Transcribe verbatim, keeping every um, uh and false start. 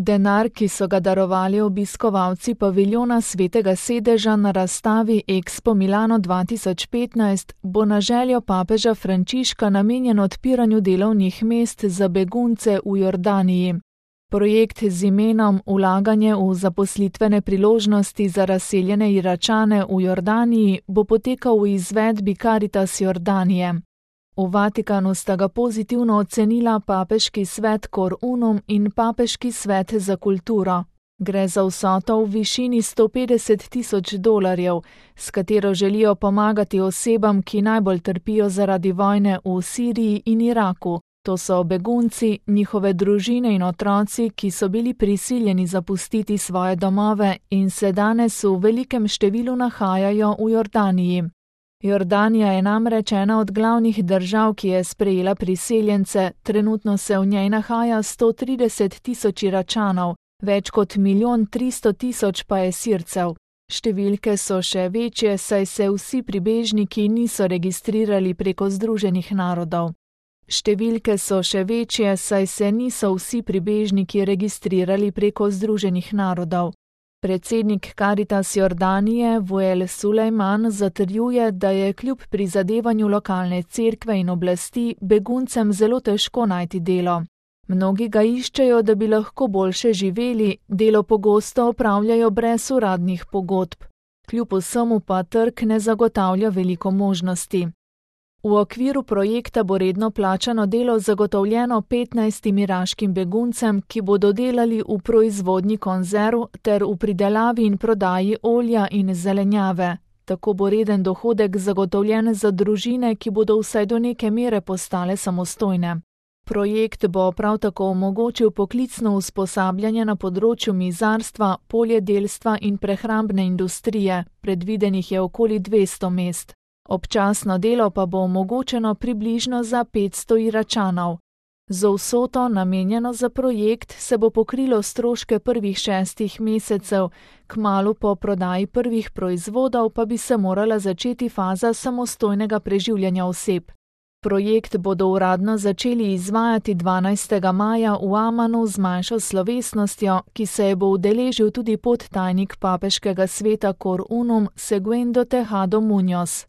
Denar, ki so ga darovali obiskovalci paviljona Svetega sedeža na razstavi Expo Milano dva tisoč petnajst, bo na željo papeža Frančiška namenjen odpiranju delovnih mest za begunce v Jordaniji. Projekt z imenom Vlaganje v zaposlitvene priložnosti za razseljene Iračane v Jordaniji bo potekal v izvedbi Caritas Jordanije. V Vatikanu sta ga pozitivno ocenila Papeški svet Cor Unum in Papeški svet za kulturo. Gre za vsoto v višini sto petdeset tisoč dolarjev, s katero želijo pomagati osebam, ki najbolj trpijo zaradi vojne v Siriji in Iraku. To so begunci, njihove družine in otroci, ki so bili prisiljeni zapustiti svoje domove in se danes v velikem številu nahajajo v Jordaniji. Jordanija je namreč ena od glavnih držav, ki je sprejela priseljence, trenutno se v njej nahaja sto trideset tisoč Iračanov, več kot milijon tristo tisoč pa je Sircev. Številke so še večje, saj se vsi pribežniki niso registrirali preko Združenih narodov. Številke so še večje, saj se niso vsi pribežniki registrirali preko Združenih narodov. Predsednik Caritas Jordanije Wael Sulejman zatrjuje, da je kljub prizadevanju lokalne cerkve in oblasti beguncem zelo težko najti delo. Mnogi ga iščejo, da bi lahko boljše živeli, delo pogosto opravljajo brez uradnih pogodb. Kljub vsemu pa trg ne zagotavlja veliko možnosti. V okviru projekta bo redno plačano delo zagotovljeno petnajstim iraškim beguncem, ki bodo delali v proizvodnji konzerv ter v pridelavi in prodaji olja in zelenjave. Tako bo reden dohodek zagotovljen za družine, ki bodo vsaj do neke mere postale samostojne. Projekt bo prav tako omogočil poklicno usposabljanje na področju mizarstva, poljedelstva in prehrambne industrije, predvidenih je okoli dvesto mest. Občasno delo pa bo omogočeno približno za petsto Iračanov. Z vsoto, namenjeno za projekt, se bo pokrilo stroške prvih šestih mesecev, kmalu po prodaji prvih proizvodov pa bi se morala začeti faza samostojnega preživljanja oseb. Projekt bodo uradno začeli izvajati dvanajstega maja v Amanu z manjšo slovesnostjo, ki se je bo udeležil tudi podtajnik Papeškega sveta Cor Unum Segundo Tejado Muñoz.